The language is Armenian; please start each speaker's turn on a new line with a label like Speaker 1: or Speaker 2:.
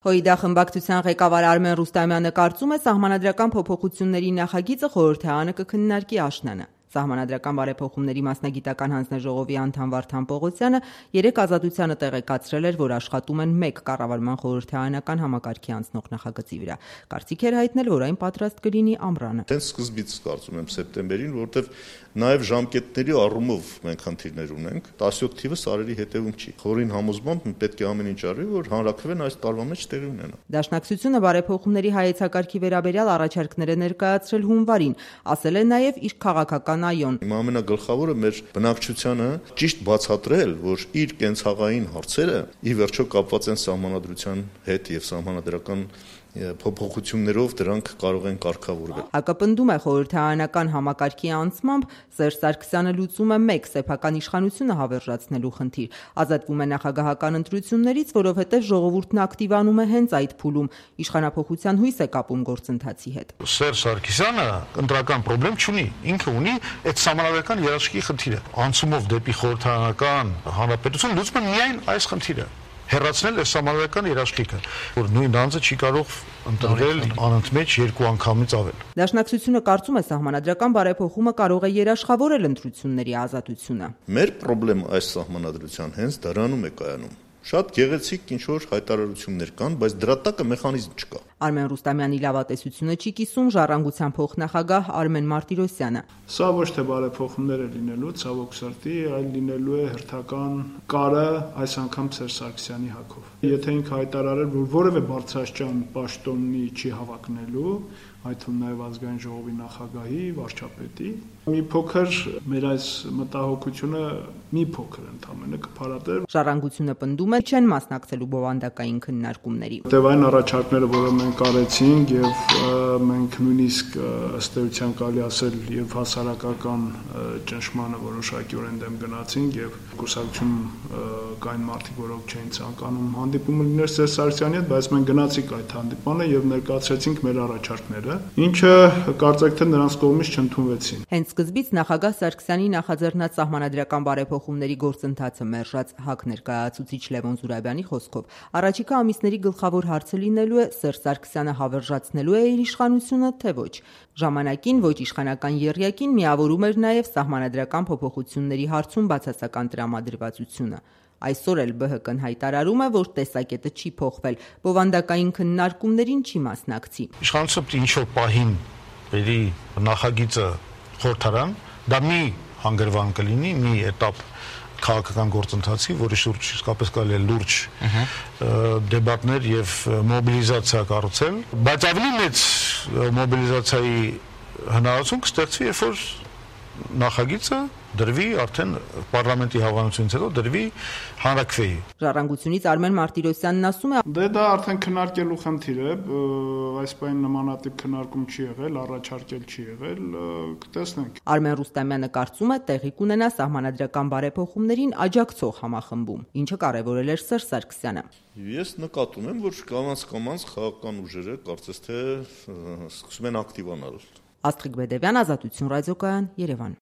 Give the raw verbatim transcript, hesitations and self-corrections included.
Speaker 1: ՀՅԴ խմբակցության ղեկավար Արմեն Ռուստամյանը կարծում է, սահմանադրական փոփոխությունների նախագիծը խորհրդարանը կքննարկի աշնանը։ Սահմանադրական բարեփոխումների մասնագիտական հանձնաժողովի անդամ Վարդան Պողոսյանը երեկ Ազատությանը տեղեկացրել էր, որ աշխատում են մեկ կառավարման խորհրդարանական համակարգի անցնող նախագծի վրա։ Կարծիք էր հայտնել, որ այն պատրաստ կլինի ամռանը։
Speaker 2: Հենց սկզբից կարծում եմ սեպտեմբերին, որտեղ նաև ժամկետների առումով մենք խնդիրներ ունենք, տասյոթ թիվը սարերի հետևում չի։ Խորին համոզմամբ պետք է ամեն ինչ արվի, որ հանրաքվեն այս տարվա մեջ տեղի ունենա։
Speaker 1: Դաշնակցությունը բարեփոխումների հայեցակարգի վերաբերյալ առաջարկներ է ներկայացրել հունվարին, ասել է նաև իր քաղաքական այոն։
Speaker 2: Իմ ամենագլխավորը մեր բնակչությանը ճիշտ բացատրել, որ իր կենցաղային հարցերը ի վերջո կապված են սահմանադրության հետ եւ սահմանադրական փոփոխություններով դրանք կարող են կարգավորվել։
Speaker 1: Հակապնդում է խորհրդարանական համակարգի անցմամբ Սերժ Սարգսյանը լուծում է մեկ սեփական իշխանությունը հավերժացնելու խնդիր, ազատվում է նախագահական ընտրություններից, որովհետև ժողովուրդն ակտիվանում է հենց այդ փուլում, իշխանափոխության հույս է կապում գործընթացի հետ։
Speaker 3: Սերժ Սարգսյանը ընտրական խնդրեմ չունի, ինքը ունի այդ սահմանադրական երաշխիքի խնդիրը։ Անցումով դեպի խորհրդարանական հանրապետություն լուծում է միայն այս խնդիրը։ Հեռացնել է սահմանադրական երաշխիքը, որ նույն անձը չի կարող ընտրվել անընդմեջ երկու անգամից ավել։
Speaker 1: Դաշնակցությունը կարծում է, սահմանադրական բարեփոխումը կարող է երաշխավորել ընտրությունների ազատությունը։
Speaker 2: Մեր խնդրեմ այս սահմանադրության հենց դրանում է կայանում։ Շատ գեղեցիկ ինչ-որ հայտարարություններ կան, բայց դրա տակը մեխանիզմ չկա։
Speaker 1: Արմեն Ռուստամյանի լավատեսությունը չի կիսում Ժառանգության փոխնախագահ Արմեն Մարտիրոսյանը։
Speaker 4: Սա ոչ թե բարեփոխումներ է լինելու, ցավոք սրտի, այլ լինելու է հերթական կարը այս անգամ Սերժ Սարգսյանի հակով։ Եթե ինքը հայտարարել, որ որևէ բարձրաստիճան պաշտոնի չի հավակնելու, այդ թվում նաև ազգային ժողովի նախագահի, վարչապետի, մի փոքր մեր այս մտահոգությունը մի փոքր ընդամենը կփարատեր։
Speaker 1: Ժառանգությունը պնդում է, չեն մասնակցելու բովանդակային քննարկումների։
Speaker 4: Որտեւ այն առաջարկները, որը մենք արեցինք եւ մենք նույնիսկ ըստ էության կարելի ասել եւ հասարակական ճնշմանը որոշակիորեն դեմ գնացինք եւ կուսակցություն կային մարդիկ, որոնք չէին ցանկանում հանդիպումը լիներ Սերժ Սարգսյանի հետ, բայց մենք գնացինք այդ հանդիպանը եւ ներկայացրեցինք մեր առաջարկները, ինչը կարծեք թե նրանց կողմից չընդունվեցին։
Speaker 1: Հենց սկզբից նախագահ Սարգսյանի նախաձեռնած սահմանադրական բարեփոխումների գործընթացը մերժած ՀԱԿ ներկայացուցիչ Լևոն Զուրաբյանի խոսքով առաջիկա ամիսների գլխավոր հարցը լինելու է Սերժ Սարգսյանը հավերժացնելու է իր իշխանությունը, թե ոչ։ Ժամանակին ոչ իշխանական եռյակին միավորում էր նաև սահմանադրական փոփոխությունների հարցում բացասական տրամադրվածությունը։ Այսօր էլ ԲՀԿ-ն հայտարարում է, որ տեսակետը չի փոխվել, բովանդակային քննարկումներին չի մասնակցի։
Speaker 3: Իշխանությունը ինչ-որ պահին բերի նախագիծը խորհրդարան, դա մի հանգրվան կլինի, մի էտապ քաղաքական գործընթացի, որի շուրջ իսկապես կարելի է լուրջ դեբատներ եւ մոբիլիզացիա կառուցել, բայց ավելի մեծ մոբիլիզացիայի հնարավորություն կստեղծվի, երբ որ նախագիծը դրվի արդեն պարլամենտի հավանությունից հետո դրվի հանրաքվեի։
Speaker 1: Ժառանգությունից Արմեն Մարտիրոսյանն ասում է.
Speaker 4: Դե դա արդեն քննարկելու խնդիր է, այս բան նմանատիպ քննարկում չի եղել, առաջարկել չի եղել, կտեսնենք։
Speaker 1: Արմեն Ռուստամյանը կարծում է, տեղի կունենա սահմանադրական բարեփոխումներին աջակցող համախմբում, ինչը կարևորել էր Սերժ Սարգսյանը։
Speaker 2: Ես նկատում եմ, որ կամաց-կամաց քաղաքական ուժերը կարծես թե սկսում են ակտիվանալ։
Speaker 1: Աստղիկ Բեդևյան, Ազատություն ռադիոկայան, Երևան։